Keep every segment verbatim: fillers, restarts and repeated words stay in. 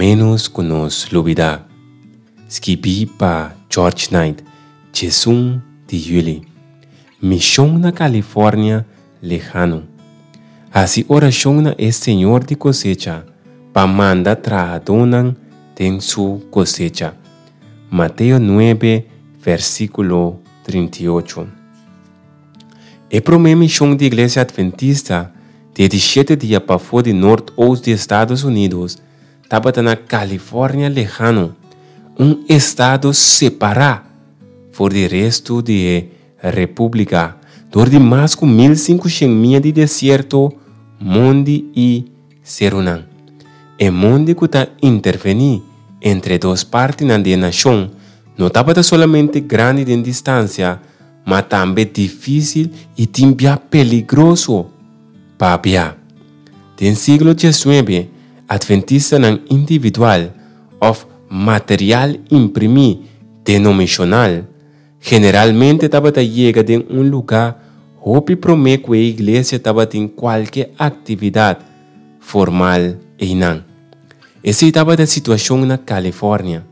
Ménos ku nos lubidá. Skibí pa George Knight, diesun di yüli. Mishon na California lehano. Hasi orashon na e Señor di kosecha pa manda trahadónan den su kosecha. Mateo nuebe, versíkulo trinta i ocho. E promé mishon di Iglesia Adventista di di shete dia pafó di nort-oost di Estados Unidos tabata na California lehano, un estado separá for di restu di e repúblika dor di mas ku mil sinku shen mia di desierto, mondi i serunan. E mondi ku ta intervení entre e dos partinan di e nashon no tabata solamente grandi den distansia, ma tambe difísil i tin bia peligroso pa bia. Den siglo diesnuebe, adventistanan individual òf material imprimí denominashonal generalmente tabata yega den un lugá hopi promé ku e iglesia tabatin kualke aktividat formal einan. Esei tabata e situashon na California.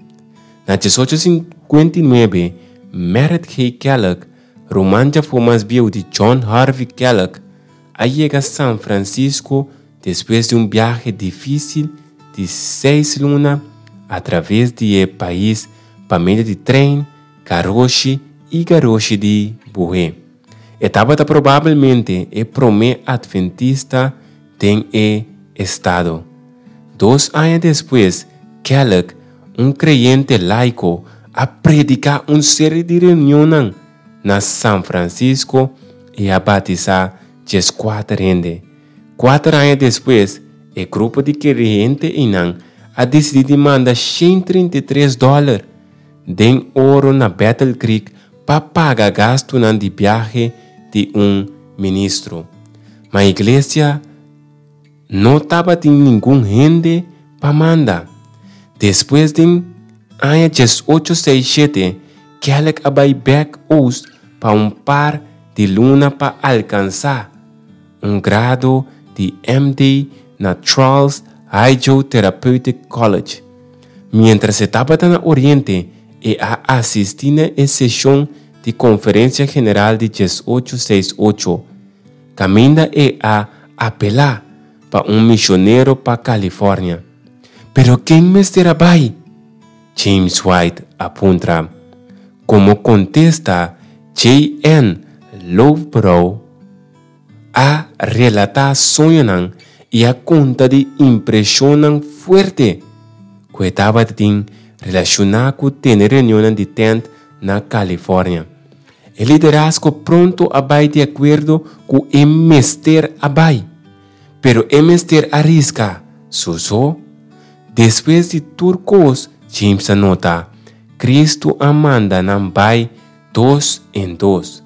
Na diesocho sinkuenta i nuebe, Merritt G. Kellogg, ruman djafó mas bieu di John Harvey Kellogg, a yega San Francisco despues di un biahe difísil di seis luna atraves di e pais pa medio di trein, garoshi i garoshi di buhé. E tabata probabelmente e promé adventista den e estado. Dos aña despues, Kellogg, un kreyente laiko, a prediká un seri di reunionnan na San Francisco i a batisá dieskuater hende. Kuater aña despues, e grupo di kreyente einan a disidí di manda shen trinta i tres dòler den oro na Battle Creek pa paga gastunan di biahe di un ministro. Ma iglesia no tabatin ningun hende pa manda. Despues den aña diesocho seis shete, Kellogg a bai bek oost pa un par di luna pa alkansá un grado di M D na Charles Hydrotherapeutic College. Miéntras e tabata na Oriente, e a asistí na e seshon di Konferensia General di diesocho seis ocho, kaminda e a apelá pa un mishonero pa California. Pero ken mester a bai? James White a puntra. Komo kontesta, J N Loughborough a relatá soñonan i a konta di impreshonnan fuerte ku e tabatin relashoná ku tene reunionnan di tènt na California. E liderazgo pronto a bai di akuerdo ku e mester a bai, pero e mester a riska su so. Despues di tur kos, James a nota, Cristo a manda nan bai dos en dos.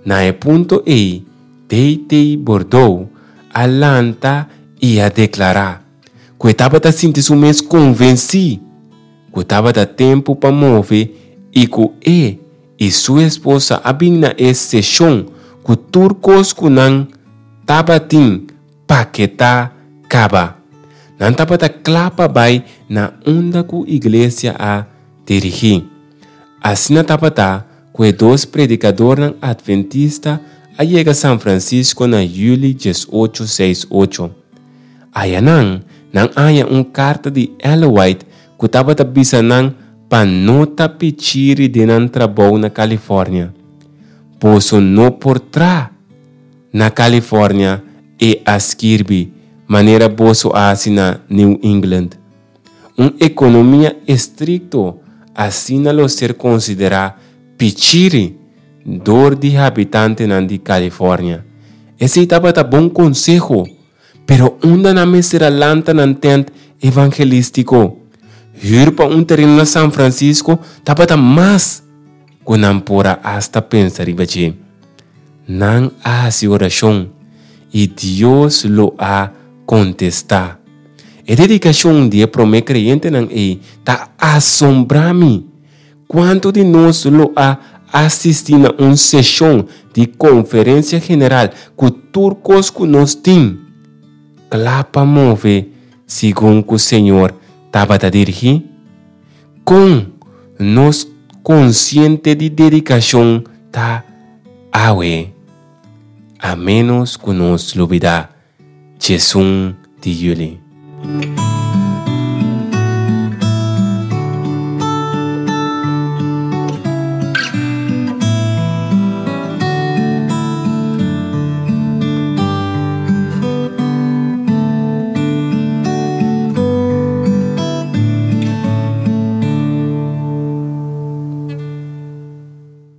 Na e punto ei, D T Bordeaux a lanta i a deklará ku e tabata sinti su mes konvensí ku tabata tempu pa move i ku e i su esposa a bin na e seshon ku tur kos ku nan tabatin paketá kaba. Nan tabata kla pa bai na unda ku iglesia a dirigí. Asina tabata ku e dos predikadornan adventista a yega San Francisco na yüli diesocho seis ocho. Ayanan, nan a haña un karta di Ellen White ku tabata bisa nan pa no ta pichiri den nan trabou na California. Boso no por tra na California, e a skirbi, manera boso a hasi na New England. Un ekonomia estrikto asina lo ser konsiderá pichiri dor di habitantenan di California. Esei tabata bon konseho, pero unda nan mester a lanta nan tent evangelístiko? Hür pa un tereno na San Francisco tabata mas ku nan por a asta pensa riba dje. Nan a hasi orashon i Dios lo a kontestá. E dedikashon di e promé kreyentenan ei ta asombrá mi. Kuantu di nos lo a asistí na un seshon di konferensia general ku tur kos ku nos tin kla pa move segun ku Señor tabata dirigí? Kon nos konsiente di dedikashon ta awe? A ménos ku nos lubidá diesun di yüli.